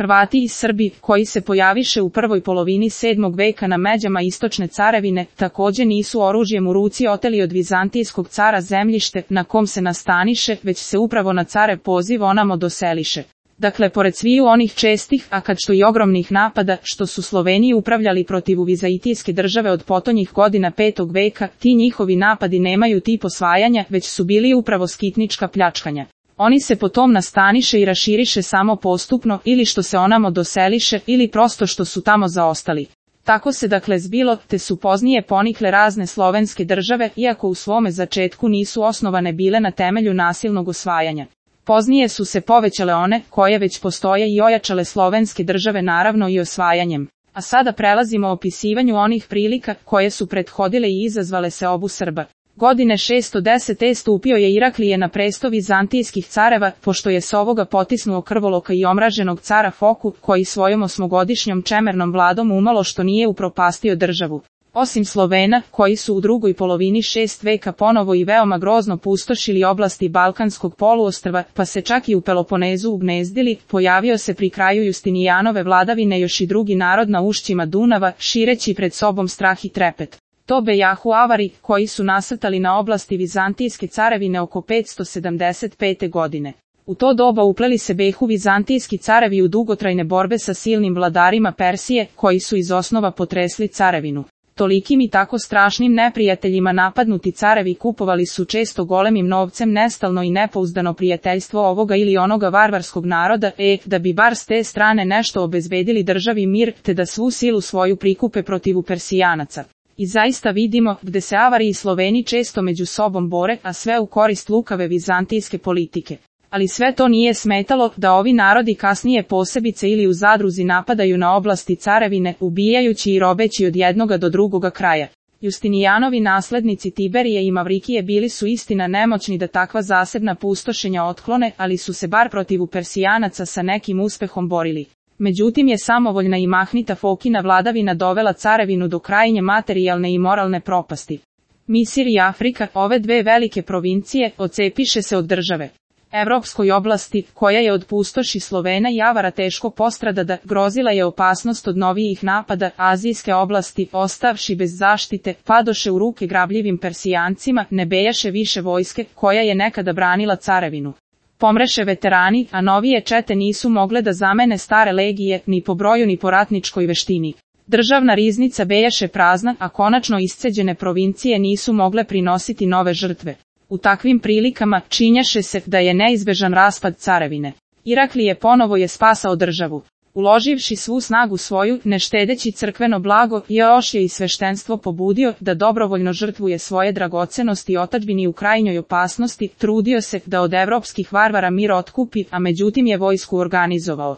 Hrvati i Srbi, koji se pojaviše u prvoj polovini 7. veka na međama istočne carevine, takođe nisu oružjem u ruci oteli od vizantijskog cara zemljište na kom se nastaniše, već se upravo na care poziv onamo doseliše. Dakle, pored sviju onih čestih, a kad što i ogromnih napada, što su Sloveniji upravljali protiv vizantijske države od potonjih godina 5. veka, ti njihovi napadi nemaju tip osvajanja, već su bili upravo skitnička pljačkanja. Oni se potom nastaniše i raširiše samo postupno, ili što se onamo doseliše, ili prosto što su tamo zaostali. Tako se dakle zbilo, te su poznije ponikle razne slovenske države, iako u svome začetku nisu osnovane bile na temelju nasilnog osvajanja. Poznije su se povećale one, koje već postoje i ojačale slovenske države naravno i osvajanjem. A sada prelazimo opisivanju onih prilika, koje su prethodile i izazvale se obu Srba. Godine 610. stupio je Iraklije na presto vizantijskih careva, pošto je s ovoga potisnuo krvoloka i omraženog cara Foku, koji svojom 8-godišnjom čemernom vladom umalo što nije upropastio državu. Osim Slovena, koji su u drugoj polovini 6. veka ponovo i veoma grozno pustošili oblasti Balkanskog poluostrva, pa se čak i u Peloponezu ugnezdili, pojavio se pri kraju Justinijanove vladavine još i drugi narod na ušćima Dunava, šireći pred sobom strah i trepet. To bejahu Avari, koji su nasrtali na oblasti vizantijske carevine oko 575. godine. U to doba upleli se behu vizantijski carevi u dugotrajne borbe sa silnim vladarima Persije, koji su iz osnova potresli carevinu. Tolikim i tako strašnim neprijateljima napadnuti carevi kupovali su često golemim novcem nestalno i nepouzdano prijateljstvo ovoga ili onoga varvarskog naroda, da bi bar s te strane nešto obezbedili državi mir, te da svu silu svoju prikupe protiv Persijanaca. I zaista vidimo, gde se Avari i Sloveni često među sobom bore, a sve u korist lukave vizantijske politike. Ali sve to nije smetalo da ovi narodi kasnije posebice ili u zadruzi napadaju na oblasti carevine, ubijajući i robeći od jednoga do drugoga kraja. Justinijanovi naslednici Tiberije i Mavrikije bili su istina nemoćni da takva zasebna pustošenja otklone, ali su se bar protiv Persijanaca sa nekim uspehom borili. Međutim je samovoljna i mahnita Fokina vladavina dovela carevinu do krajnje materijalne i moralne propasti. Misir i Afrika, ove dve velike provincije, odcepiše se od države. Evropskoj oblasti, koja je od pustoši Slovena i Avara teško postradada, grozila je opasnost od novijih napada, azijske oblasti, ostavši bez zaštite, padoše u ruke grabljivim Persijancima, ne bejaše više vojske, koja je nekada branila carevinu. Pomreše veterani, a novije čete nisu mogle da zamene stare legije, ni po broju ni po ratničkoj veštini. Državna riznica bejaše prazna, a konačno isceđene provincije nisu mogle prinositi nove žrtve. U takvim prilikama činjaše se da je neizbežan raspad carevine. Iraklije ponovo je spasao državu. Uloživši svu snagu svoju, ne štedeći crkveno blago, još je i sveštenstvo pobudio da dobrovoljno žrtvuje svoje dragocenosti otadžbini u krajnjoj opasnosti, trudio se da od evropskih varvara mir otkupi, a međutim je vojsku organizovao.